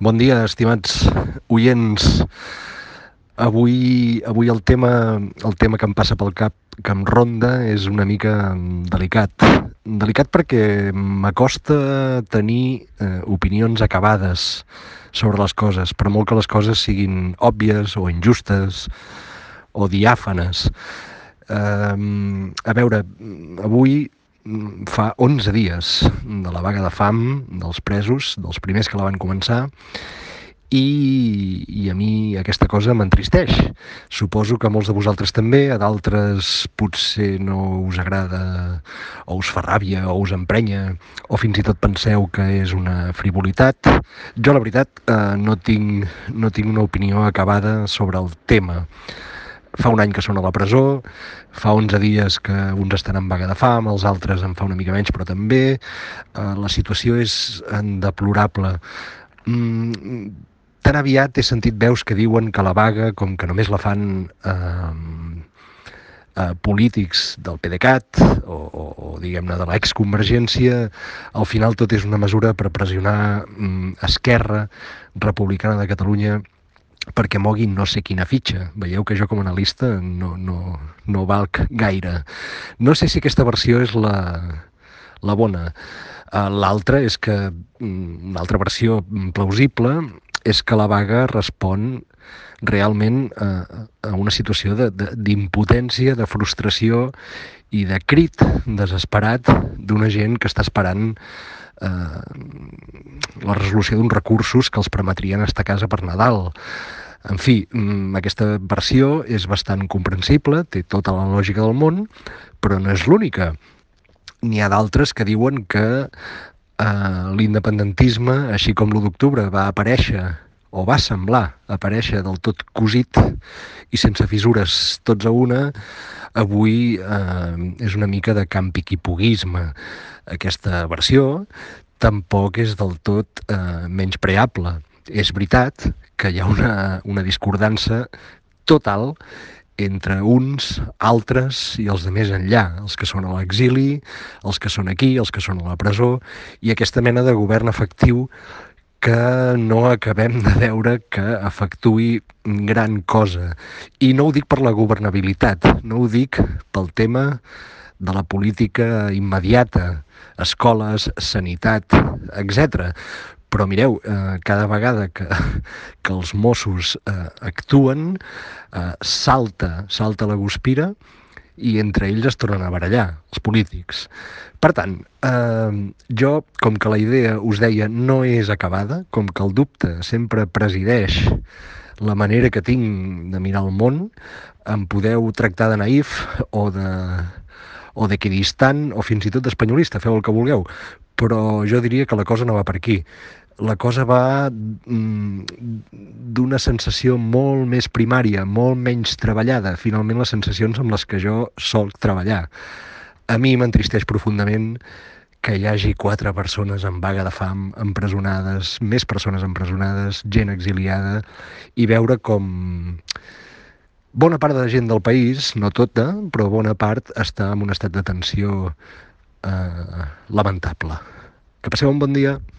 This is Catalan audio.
Bon dia, estimats oients. Avui el tema que em passa pel cap, que em ronda, és una mica delicat. Delicat perquè m'acosta tenir opinions acabades sobre les coses, per molt que les coses siguin òbvies o injustes o diàfanes. A veure, avui fa 11 dies de la vaga de fam dels presos, dels primers que la van començar, i a mi aquesta cosa m'entristeix. Suposo que a molts de vosaltres també, a d'altres potser no us agrada o us fa ràbia o us emprenya o fins i tot penseu que és una frivolitat. Jo, la veritat, no tinc una opinió acabada sobre el tema. Fa un any que són a la presó, fa 11 dies que uns estan en vaga de fam, els altres en fa una mica menys, però també. La situació és deplorable. Tan aviat he sentit veus que diuen que la vaga, com que només la fan polítics del PDeCAT o diguem-ne de l'exconvergència, al final tot és una mesura per pressionar Esquerra Republicana de Catalunya perquè moguin no sé quina fitxa. Veieu que jo com a analista no valc gaire. No sé si aquesta versió és la bona. L'altra és que, una altra versió plausible, és que la vaga respon realment a una situació d'impotència, de frustració i de crit desesperat d'una gent que està esperant la resolució d'uns recursos que els permetrien estar a casa per Nadal. En fi, aquesta versió és bastant comprensible, té tota la lògica del món, però no és l'única. N'hi ha d'altres que diuen que l'independentisme, així com l'1 d'octubre va aparèixer o va semblar aparèixer del tot cosit i sense fissures tots a una, avui és una mica de campiquipuguisme. Aquesta versió tampoc és del tot menyspreable. És veritat que hi ha una discordança total entre uns, altres i els de més enllà, els que són a l'exili, els que són aquí, els que són a la presó, i aquesta mena de govern efectiu que no acabem de veure que efectuï gran cosa. I no ho dic per la governabilitat, no ho dic pel tema de la política immediata, escoles, sanitat, etc. Però mireu, cada vegada que els Mossos actuen, salta la guspira i entre ells es tornen a barallar, els polítics. Per tant, jo, com que la idea, us deia, no és acabada, com que el dubte sempre presideix la manera que tinc de mirar el món, em podeu tractar de naïf o d'equidistant o fins i tot d'espanyolista, feu el que vulgueu, però jo diria que la cosa no va per aquí. La cosa va d'una sensació molt més primària, molt menys treballada, finalment les sensacions amb les que jo solc treballar. A mi m'entristeix profundament que hi hagi 4 persones en vaga de fam, empresonades, més persones empresonades, gent exiliada, i veure com bona part de la gent del país, no tota, però bona part, està en un estat de tensió lamentable. Que passeu un bon dia.